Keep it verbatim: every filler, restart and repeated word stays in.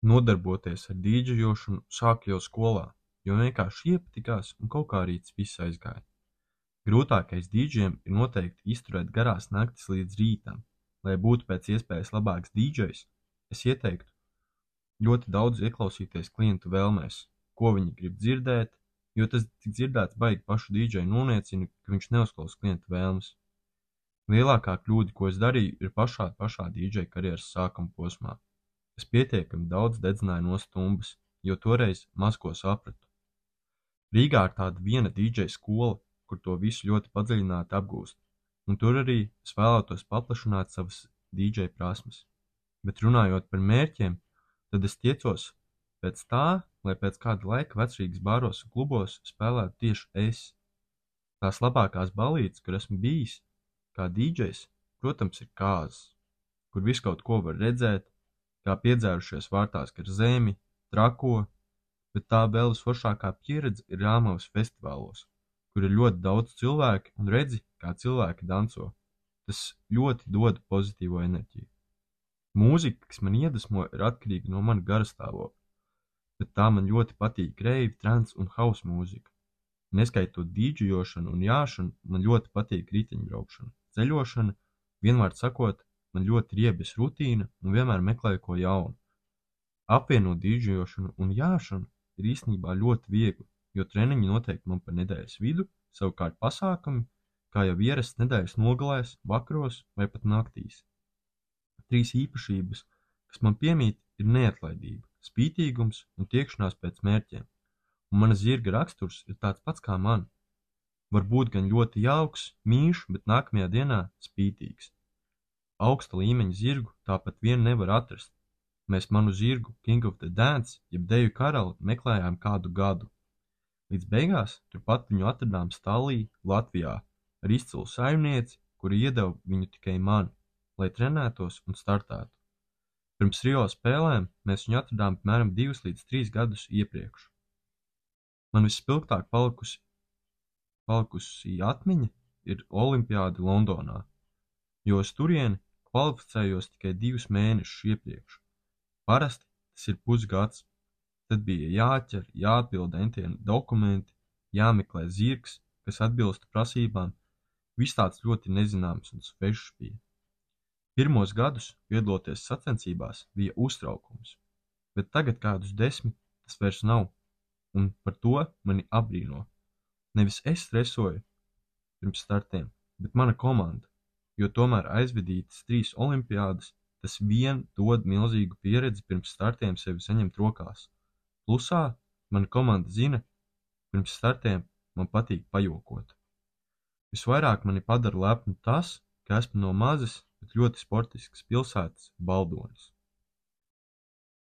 Nodarboties ar dīdžejošanu sāku jau skolā, jo vienkārši iepatikās un kaut kā arī tas viss aizgāja. Grūtākais dīdžejam ir noteikti izturēt garās naktis līdz rītam. Lai būtu pēc iespējas labāks dīdžejs, es ieteiktu ļoti daudz ieklausīties klientu vēlmēs, ko viņi grib dzirdēt, jo tas, cik dzirdēts baigi pašu dīdžeju noniecina, ka viņš neuzklausa klientu vēlmes. Lielākā kļūda, ko es darīju, ir pašā pašā dīdžeja karjeras sākuma posmā. Es pietiekami daudz dedzināju no stumbas, jo toreiz maz ko sapratu. Rīgā ir tāda viena dīdžeja skola, kur to visu ļoti padziļināti apgūst, un tur arī es vēlētos paplašināt savas dīdžeja prasmes. Bet runājot par mērķiem, tad es tiecos pēc tā, lai pēc kāda laika vecrīgas bāros un klubos spēlētu tieši es. Tās labākās balītes, kur esmu bijis, kā dīdžejs, protams, ir kāzas, kur visu kaut ko var redzēt, kā piedzērušies vārtās gar zemi, trako, bet tā vēl visforšākā pieredze ir Rāmavas festivālos, kur ir ļoti daudz cilvēki un redzi, kā cilvēki danco. Tas ļoti dod pozitīvo enerģiju. Mūzika, kas man iedvesmo, ir atkarīga no mana garastāvokļa, bet tā man ļoti patīk reivi, trance un house mūzika. Neskaitot dīdžejošanu un jāšanu, man ļoti patīk riteņbraukšana, ceļošana, vienvārds sakot, man ļoti riebjas rutīna un vienmēr meklēju ko jaunu. Apvienot dīdžejošanu un jāšanu ir īstenībā ļoti viegli, jo treniņi notiek man pa nedēļas vidu, savukārt pasākumi, kā jau ierasts nedēļas nogalēs, vakaros vai pat naktīs. Trīs īpašības, kas man piemīt, ir neatlaidība, spītīgums un tiekšanās pēc mērķiem, un mana zirga raksturs ir tāds pats kā man. Varbūt gan ļoti jauks, mīļš, bet nākamajā dienā spītīgs. Augsta līmeņa zirgu tāpat vien nevar atrast. Mēs manu zirgu King of the Dance, jeb deju karali, meklējām kādu gadu. Līdz beigās turpat viņu atradām Stallī, Latvijā, ar izcilu saimnieci, kuri iedeva viņu tikai man, lai trenētos un startētu. Pirms Rio spēlēm mēs viņu atradām apmēram divus līdz trīs gadus iepriekš. Man visspilgtāk palikusi, palikusi atmiņa ir olimpiāde Londonā, jo uz turieni kvalificējos tikai divus mēnešus iepriekš. Parasti tas ir pusgads, tad bija jāķer, jāatbilda entieni dokumenti, jāmeklē zirgs, kas atbilst prasībām, viss tāds ļoti nezināms un svešs bija. Pirmos gadus piedaloties sacensībās bija uztraukums, bet tagad kādus desmit tas vairs nav, un par to mani apbrīno. Nevis es stresoju pirms startiem, bet mana komanda, jo tomēr aizvedītas trīs olimpiādas, tas vien dod milzīgu pieredzi pirms startiem sevi saņemt rokās. Plusā mana komanda zina, pirms startiem man patīk pajokot. Visvairāk mani padara lepnu tas, ka esmu no mazas, bet ļoti sportiskas pilsētas Baldonas.